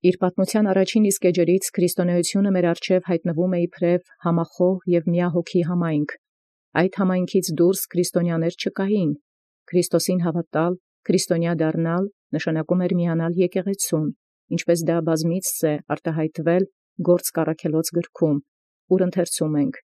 Իր պատմութեան առաջին իսկ էջերից քրիստոնեությունը մեր առջև հայտնվում է իբրև համախոհ և միահոգի համայնք. այդ համայնքից դուրս քրիստոնյաներ չկային. Քրիստոսին հավատալ, քրիստոնյա դառնալ, նշանակում էր միանալ եկեղեցուն, ինչպէս դա բազմիցս է արտահայտվել Գործք առաքելոց գրքում, ուր ընթերցում ենք.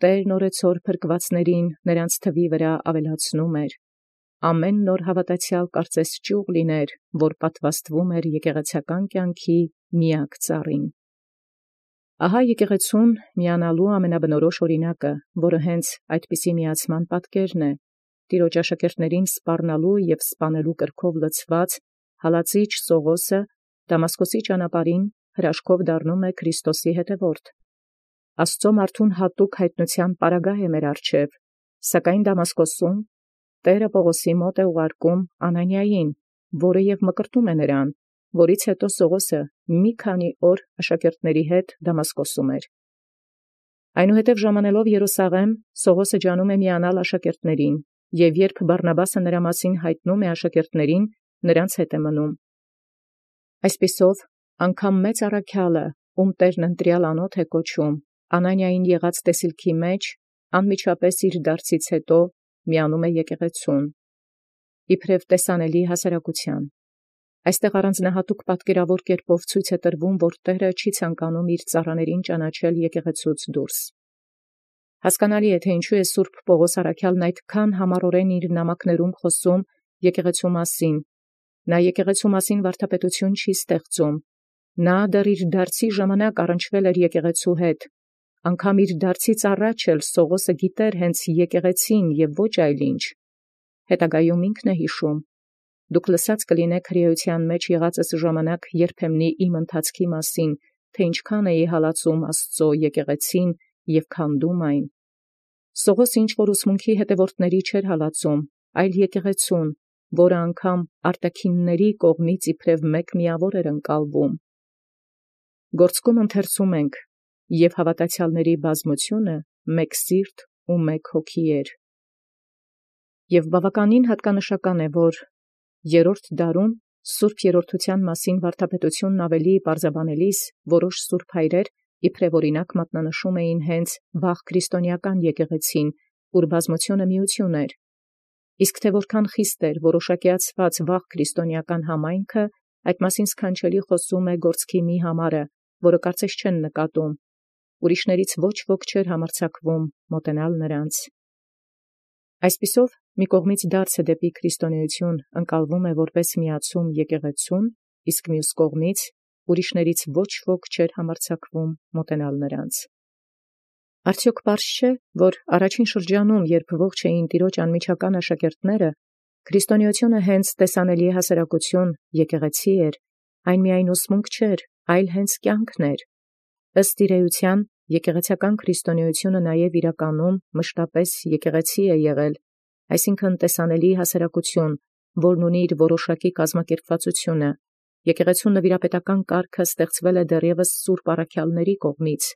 Տէրն օրեցօր փրկուածացն նրանց թվի վրա ավելացնում էր. ամեն նոր հավատացեալ կարծես ճյուղ լիներ, որ պատվաստվում էր եկեղեցական կյանքի միակ ծառին։ Ահա եկեղեցուն միանալու ամենաբնորոշ օրինակը, որը հենց այդպիսի միացման պատկերն է, Տիրոջ աշակերտներին սպառնալու և սպանելու կրքով լցված հալածիչ Սողոսը Դամասկոսի ճանապարհին հրաշքով դառնում է Քրիստոսի հետևորդ։ Աստծո մարդուն հատուկ հայտնութեան պարագայ է մեր առջև, սակայն Դամասկոսում Տէրը Պողոսի մոտ է ուղարկում Անանիային, որը և մկրտում է նրան, որից հետո Սողոսը մի քանի օր աշակերտաւք հետ Դամասկոսում էր։ Այնուհետև ժամանելով Երուսաղեմ, Սողոսը ջանում է միանալ աշակերտաւքին, և երբ Բարնաբասը նրա մասին յայտնում է աշակերտաւքին, նրանց հետ է մնում։ Այսպիսով, անգամ մեծ առաքեալը, ում Տէրն ընտրեալ անոթ է կոչում, Անանիային եղած տեսիլքի մեջ, անմիջապես իր դարձից հետո միանում է եկեղեցուն, իբրև տեսանելի հասարակութեան։ Այստեղ առանձնահատուկ պատկերավոր կերպով ցույց է տրվում, որ Տէրը չի ցանկանում իր ծառաներին ճանաչել եկեղեցուց դուրս։ Հասկանալի է, թե ինչու է Սուրբ Պողոս առաքյալն այդքան համառորեն իր նամակներում խոսում եկեղեցու մասին։ Նա եկեղեցու մասին վարդապետություն չի ստեղծում։ Նա դեռ իր դարձի ժամանակ առնչվել էր եկեղեցու հետ։ Անգամ իր դարձից առաջ էլ Սողոսը գիտեր հենց եկեղեցին և ոչ այլ ինչ։ Հետագայում ինքն է հիշում. «Դուք լսած կլինէք հրեայութեան մեջ եղածս ժամանակ երբեմնի իմ ընթացքի մասին, թե ինչքան էի հալածում Աստուծոյ եկեղեցին և քանդում այն»։ Սողոսը ինչ-որ ուսմունքի հետևորդների չէր հալածում, այլ եկեղեցուն, որը անգամ արտաքինների կողմից իբրև մեկ միավոր էր ընկալվում։ Գործքում ընթերցում ենք. «Եւ հավատացեալների բազմությունը մեկ սիրտ ու մեկ հոգի էր»։ Եւ բավականին հատկանշական է, որ երրորդ դարում Սուրբ Երրորդութեան մասին վարդապետությունն ավելի պարզաբանելիս որոշ սուրբ հայրեր իբրև օրինակ մատնանշում էին հենց վաղ քրիստոնեական եկեղեցին, ուր բազմությունը միություն էր։ Իսկ թե որքան խիստ էր որոշակեացված վաղ քրիստոնեական համայնքը, այդ մասին սքանչելի խոսում է Գործքի մի համարը, որը կարծես չեն նկատում։ Ուրիշներից ոչ ոք չէր համարձակվում մոտենալ նրանց։ Այսպիսով, մի կողմից դարձը դեպի քրիստոնեություն ընկալվում է որպես միացում եկեղեցուն, իսկ մյուս կողմից ուրիշներից ոչ ոք չէր համարձակվում մոտենալ նրանց։ Արդյոք պարզ չէ, որ առաջին շրջանում, երբ ողջ էին Տիրոջ անմիջական աշակերտները, քրիստոնեությունը հենց տեսանելի հասարակություն, եկեղեցի էր, այն միայն ուսմունք չէր, այլ հենց կյանքն էր։ Ըստ իր էության, եկեղեցական քրիստոնեությունը նաև իրականում մշտապես եկեղեցի է եղել, այսինքն տեսանելի հասարակություն, որն ունի իր որոշակի կազմակերպվածությունը։ Եկեղեցու նվիրապետական կարգը ստեղծվել է դեռևս սուրբ առաքյալների կողմից։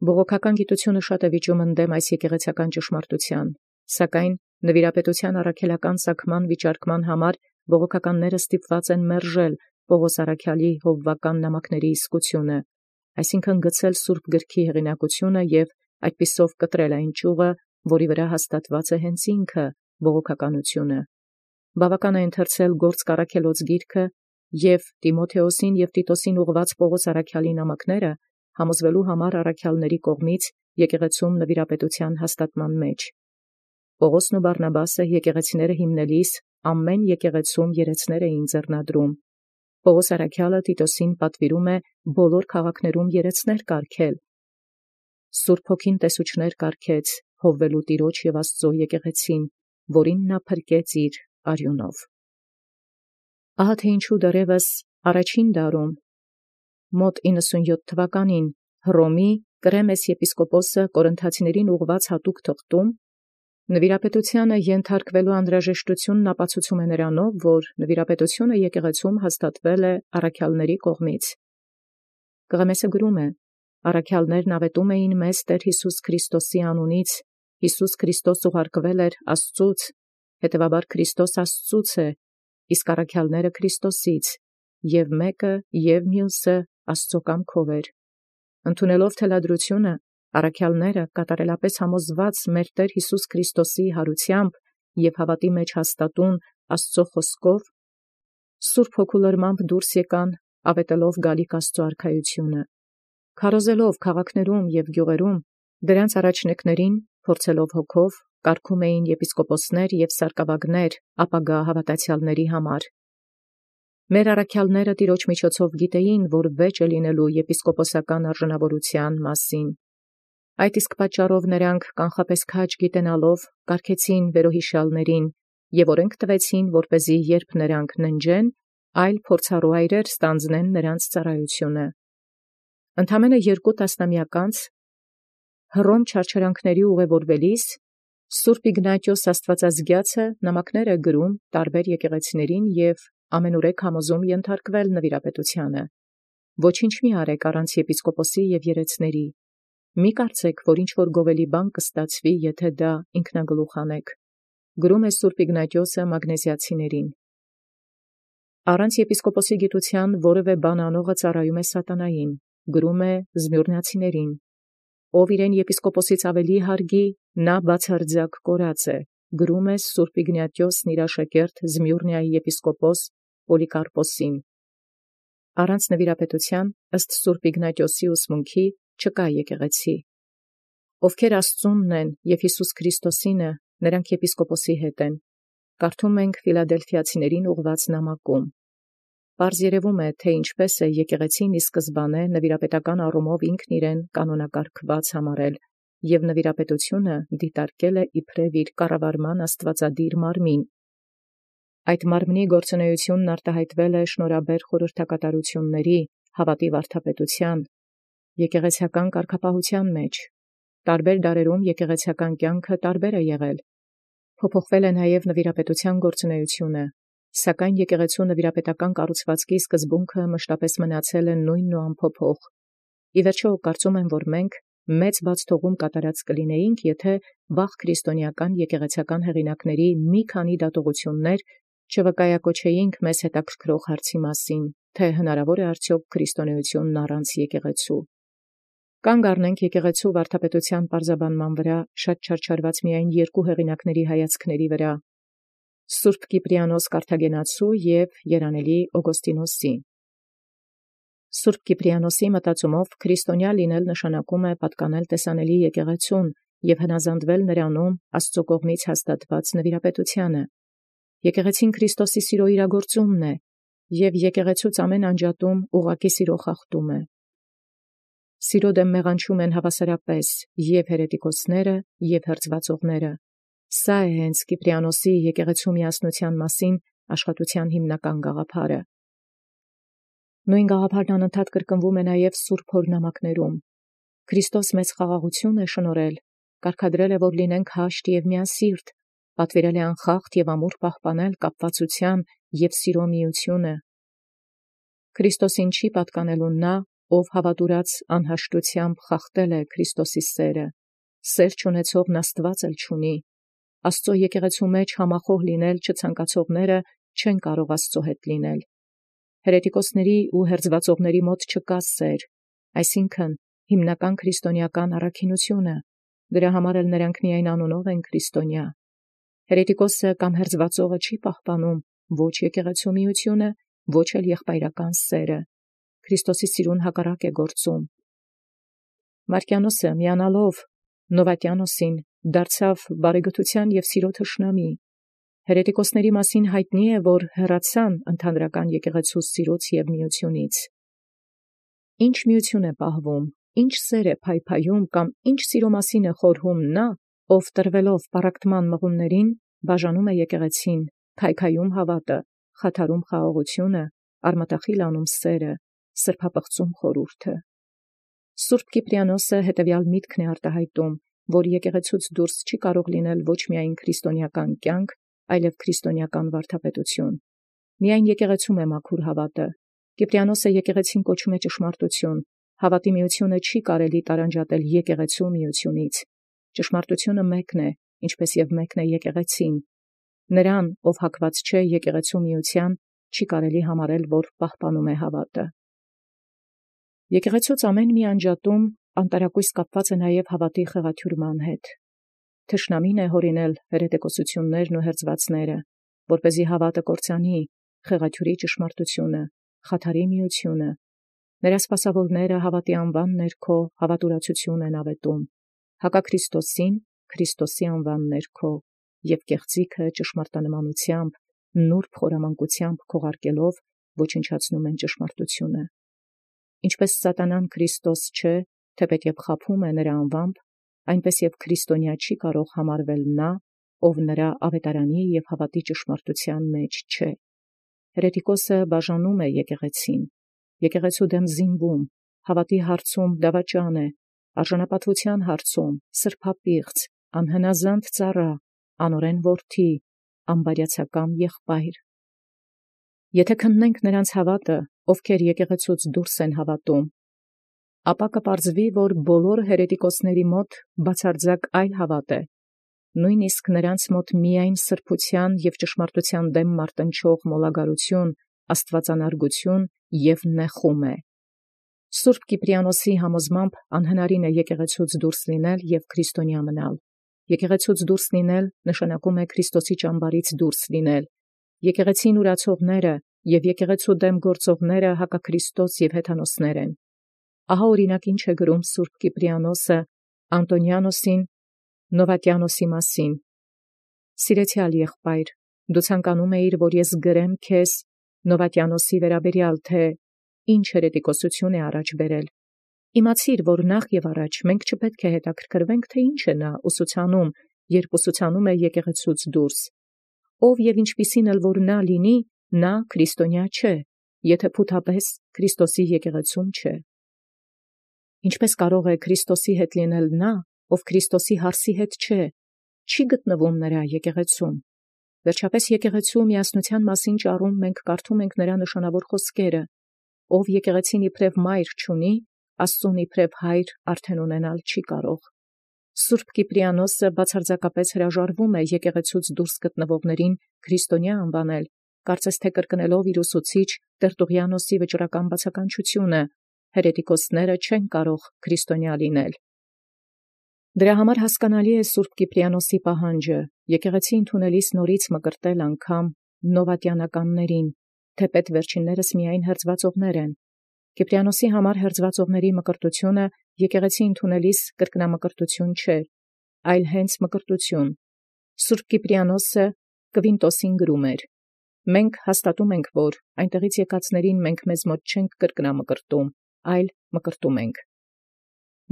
Բողոքական գիտությունը շատ է վիճում ընդդեմ այս եկեղեցական ճշմարտութեան, սակայն նվիրապետության առաքելական ծագման վիճարկման համար բողոքականները ստիպված են մերժել Պողոս առաքյալի հովվական նամակների իսկությունը, այսինքն գցել Սուրբ գրքի հեղինակությունը և այդպիսով կտրել այն ճյուղը, որի վրա հաստատված է հենց ինքը բողոքականությունը։ Բավական է ընթերցել Գործք առաքելոց գիրքը և Տիմոթեոսին և Տիտոսին ուղղված Պողոս առաքյալի նամակները, համոզվելու համար առաքյալների կողմից եկեղեցում նվիրապետության հաստատման մեջ։ Պողոսն ու Բարնաբասը եկեղեցիները հիմնելիս ամեն եկեղեցում երեցներ էին ձեռնադրում։ Պողոս առաքյալը Տիտոսին պատվիրում է բոլոր քաղաքներում երեցներ կարգել։ Սուրբ Հոգին տեսուչներ կարգեց հովվելու Տիրոջ և Աստծո եկեղեցին, որին նա փրկեց իր արյունով։ Ահա թե ինչու դեռևս առաջին դարում, մոտ 97 թվականին, Հռոմի Կրեմես եպիսկոպոսը Կորինթացիներին ուղղված հատուկ թղթում նվիրապետությանը ենթարկվելու անհրաժեշտությունն ապացուցում է նրանով, որ նվիրապետությունը եկեղեցում հաստատվել է առաքյալների կողմից։ Կղամեսը գրում է. «Առաքյալներն ավետում էին մեզ Տեր Յիսուս Քրիստոսի անունից, Յիսուս Քրիստոս ուղարկվել էր Աստծուց, հետևաբար Քրիստոս Աստծուց է, իսկ առաքյալները Քրիստոսից։ և մեկը և մյուսը Աստուծոյ կամքով էր։ Ընդունելով թելադրութիւնը, առաքելոցն կատարելապէս համոզուած մեր Տէր Յիսուս Քրիստոսի յարութեամբ և հաւատի մեջ հաստատուն Աստուծոյ խոսքով, Սուրբ Հոգու լրմամբ դուրս եկան, աւետելով գալիք Աստուծոյ արքայութիւնը, քարոզելով քաղաքներում և գիւղերում, դրանց առաջնեկներին փորձելով հոգով, կարգում էին եպիսկոպոսներ և սարկավագներ ապագա հաւատացեալսն համար։ Մեր առաքելոցն Տեառն միջոցով գիտեին, որ վեճ լինելու եպիսկոպոսական արժանաւորութեան մասին։ Այդ իսկ պատճառով նոցա կանխապես քաջ գիտենալով կարգեցին վերոյիշեալսն և օրենք տվեցին, որպէսզի երբ նոցա ննջեն, այլ փորձառու այրեր ստանձնեն նոցա ծառայութիւնը։ Ընդամենը 2 տասնամեակ անց Հռոմ չարչարանքացն ուղևորելիս Սուրբ Իգնատիոս Աստուածազգեացը նամակս գրում տարբեր եկեղեցիցն և ամենուրեք համոզում ենթարկվել նվիրապետութեանը։ Ոչինչ մի արեք առանց եպիսկոպոսի և երեցների. մի կարծեք, որ ինչ-որ գովելի բան կստացվի, եթէ դա ինքնագլուխ անեք։ Գրում է Սուրբ Իգնատիոսը Մագնեզիացիներուն։ Առանց եպիսկոպոսի գիտութեան որևէ բան անողը ծառայում է սատանային, գրում է Զմյուռնացիներուն։ Ով իրեն եպիսկոպոսից ավելի հարգի, նա բացարձակ կորած է, գրում է Սուրբ Իգնատիոսն իր աշակերտ Զմյուռնիայի եպիսկոպոս Պոլիկարպոսին։ Առանց նվիրապետութեան ըստ Սուրբ Իգնատիոսի ուսմունքի չկա եկեղեցի։ Ովքեր Աստուծոյն են և Յիսուս Քրիստոսինը, նոցանք եպիսկոպոսի հետ են, կարդում ենք Ֆիլադելֆիացիներուն ուղղված նամակում։ Պարզ երևում է, թէ ինչպէս է եկեղեցին ի սկզբանէ նվիրապետական առումով ինքն իրեն կանոնակարգված համարել և նվիրապետութիւնը դիտարկել իբրև իր կառավարման աստուածադիր մարմին։ Այդ մարմնի գործունեութիւնն արտահայտվել է շնորհաբեր խորհրդակատարութիւնացն, հաւատի վարդապետութեան, եկեղեցական կարգապահութեան մեջ։ Տարբեր դարերում եկեղեցական կյանքը տարբեր է եղել։ Փոփոխվել է նաև նվիրապետութեան գործունեութիւնը, սակայն եկեղեցու նվիրապետական կառուցվածքի սկզբունքը մշտապես մնացել է նույնն ու անփոփոխ։ Ի վերջոյ կարծում եմ, որ մենք մեծ բացթողում կատարած կլինեինք, եթէ վաղ քրիստոնեական եկեղեցական հեղինակացն մի քանի դատողություններ չվկայակոչեինք մեզ հետաքրքրող հարցի մասին, թէ հնարավոր է արդեոք քրիստոնեութիւնն առանց եկեղեցու։ Կանգ առնենք եկեղեցու վարդապետութեան պարզաբանման վրա շատ չարչարված միայն 2 հեղինակացն հայացքսն վրա. Սուրբ Կիպրիանոս Կարթագենացու և երանելի Օգոստինոսի։ Սուրբ Կիպրիանոսի մտածումով քրիստոնյա լինել նշանակում է պատկանել տեսանելի եկեղեցուն և հնազանդվել նրանում Աստուծոյ կողմից հաստատված նվիրապետութեանը։ Եկեղեցին Քրիստոսի սիրո իրագործումն է, և եկեղեցուց ամեն անջատում ուղղակի սիրո խախտում է։ Սիրո դեմ մեղանչում են հավասարապես և հերետիկոսները, և հրձվածողները։ Սա է հենց Կիպրիանոսի եկեղեցու միասնութեան մասին աշխատութեան հիմնական գաղափարը։ Նույն գաղափարն անընդհատ կրկնվում է նաև Սուրբ Հորնամակներում։ Քրիստոս մեծ խաղաղութիւն է շնորհել, կարգադրել է, որ լինենք հաշտ և միասիրտ, պատվիրել է անխախտ և ամուր պահպանել կապվածութեան և սիրո միությունը։ Քրիստոսին չի պատկանելուն նա, ով հաւատուրած անհաշտութեամբ խախտել է Քրիստոսի սերը, սեր չունեցողն Աստուած էլ չունի։ Աստուծոյ եկեղեցու մեջ համախոհ լինել չցանկացողները չեն կարող Աստուծոյ հետ լինել։ Հերետիկոսների ու հրձվածողների մոտ չկա սեր, այսինքն հիմնական քրիստոնեական առաքինութիւնը, դրա համար էլ նոցանք միայն անունով են քրիստոնյա։ Հերետիկոսը կամ հրձվածողը չի պահպանում ոչ եկեղեցու միությունը, ոչ էլ եղբայրական սերը, Քրիստոսի սիրուն հակառակ է գործում։ Մարկիանոսը միանալով Նովատիանոսին դարձավ բարեգթութեան և սիրո թշնամի։ Հերետիկոսների մասին յայտնի է, որ հեռացան ընդհանրական եկեղեցու սիրոց և միությունից։ Ինչ միություն է պահվում, ինչ սեր է փայփայում կամ ինչ սիրո մասին է խորհում նա, ով տրվելով պառակտման մղումնին, բաժանում է եկեղեցին, քայքայում հաւատը, խաթարում խաղաղութիւնը, արմատախիլ անում սերը, սրբապղծում խորհուրդը։ Սուրբ Կիպրիանոսը հետևյալ միտքն է արտահայտում, որ եկեղեցուց դուրս չի կարող լինել ոչ միայն քրիստոնեական կյանք, այլև քրիստոնեական վարդապետութիւն։ Միայն եկեղեցում է մաքուր հաւատը։ Կիպրիանոսը եկեղեցին կոչում է ճշմարտութիւն, հաւատի միությունը չի կարելի տարանջատել եկեղեցու միությունից։ Ճշմարտութիւնը մեկն է, ինչպես և մեկն է եկեղեցին։ Նրան, ով հակված չէ եկեղեցու միութեան, չի կարելի համարել, որ պահպանում է հավատը։ Եկեղեցուց ամեն մի անջատում անտարակույս կապված է նաև հավատի խեղաթյուրման հետ։ Թշնամին է հորինել հերետիկոսություններն ու հերձվածները, որպեսզի հավատը կործանի, խեղաթյուրի ճշմարտությունը, խաթարի միությունը։ Նրա սպասավորները հավատի անվան ներքո հավատուրացություն են ավետում, հակաքրիստոսին Քրիստոսի անվան ներքո, և կեղծիքը ճշմարտանմանությամբ, նուրբ խորամանկությամբ քողարկելով ոչնչացնում են ճշմարտությունը։ Ինչպես սատանան Քրիստոս չէ, թեպետ և խաբում է նրա անվամբ, այնպես և քրիստոնյա չի կարող համարվել նա, ով նրա ավետարանի և հավատի ճշմարտության մեջ չէ։ Հերետիկոսը բաժանում է եկեղեցին, եկեղեցու դեմ զինվում, հավատի հարցում դավաճան է, արժանապատվության հարցում սրբապիղծ, անհնազանդ ծառա, անօրեն որդի, անբարյացակամ եղբայր։ Եթե քննենք նրանց հավատը, ովքեր եկեղեցուց դուրս են հավատում, ապա կպարզվի, որ բոլոր հերետիկոսների մոտ բացարձակ այլ հավատ է, նույնիսկ նրանց մոտ միայն սրբության և ճշմարտության դեմ մարտնչող մոլագարություն, աստվածանարգություն և նեխում է։ Սուրբ Կիպրիանոսի համոզմամբ անհնարին է եկեղեցուց դուրս լինել և քրիստոնյա մնալ։ Եկեղեցուց դուրս լինել նշանակում է Քրիստոսի ճամբարից դուրս լինել։ Եկեղեցին ուրացողները և եկեղեցու դեմ գործողները հակաքրիստոս և հեթանոսներ են։ Ահա օրինակ ինչ է գրում Սուրբ Կիպրիանոսը Անտոնիանոսին Նովատիանոսի մասին. «Սիրեցյալ եղբայր, դու ցանկանում էիր, որ ես գրեմ քեզ Նովատիանոսի վերաբերյալ, թե ինչ հերետիկոսություն է առաջ բերել։ Իմացիր, որ նախ և առաջ մենք չպետք է հետաքրքրվենք, թե ինչ է նա ուսուցանում, երբ ուսուցանում է եկեղեցուց դուրս։ Ով և ինչպիսին էլ որ նա լինի, նա քրիստոնյա չէ, եթե փութապես Քրիստոսի եկեղեցում չէ։ Ինչպես կարող է Քրիստոսի հետ լինել նա, ով Քրիստոսի հարսի հետ չէ, չի գտնվում նրա եկեղեցում։ Վերջապես եկեղեցու միասնության մասին ճառում մենք կարդում ենք նրա նշանավոր խոսքերը. ով եկեղեցին իբրև մայր չունի, Աստծուն իբրև հայր արդեն ունենալ չի կարող։ Սուրբ Կիպրիանոսը բացարձակապես հրաժարվում է եկեղեցուց դուրս գտնվողներին քրիստոնյա անվանել, կարծես թե կրկնելով իր ուսուցիչ Տերտուղիանոսի վճռական բացականչությունը. հերետիկոսները չեն կարող քրիստոնյա լինել։ Դրա համար հասկանալի է Սուրբ Կիպրիանոսի պահանջը եկեղեցի ընդունելիս նորից մկրտել անգամ նովատիանականներին, թեպետ վերջիններս միայն հերձվածողներ են։ Կիպրիանոսի համար հերձվածողների մկրտությունը եկեղեցի ընդունելիս կրկնամկրտություն չէ, այլ հենց մկրտություն։ Սուրբ Կիպրիանոսը Կվինտոսին գրում էր. «Մենք հաստատում ենք, որ այնտեղից եկածներին մենք մեզ մոտ չենք կրկնամկրտում, այլ մկրտում ենք»։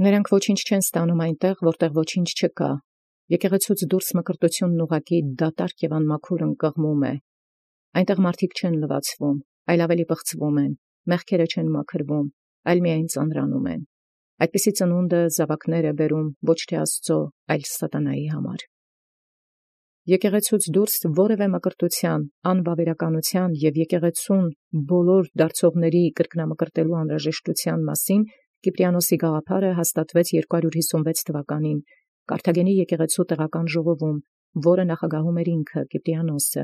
Նրանք ոչինչ չեն ստանում այնտեղ, որտեղ ոչինչ չկա։ Եկեղեցուց դուրս մկրտությունն ուղղակի դատարկ և անմաքուր ընկղմում է։ Այնտեղ մարդիկ չեն լվացվում, այլ ավելի պղծվում են, մեղքերը չեն մաքրվում, այլ միայն ծանրանում են։ Այդպիսի ծնունդը զավակներ է բերում ոչ թե Աստծո, այլ սատանայի համար։ Եկեղեցուց դուրս որևէ մկրտության, անվավերականության և եկեղեցուն բոլոր դարձողների կրկնամկրտելու անհրաժեշտության մասին Կիպրիանոսի գաղափարը հաստատվեց 256 թվականին Կարթագենի եկեղեցու տեղական ժողովում, որը նախագահում էր ինքը Կիպրիանոսը։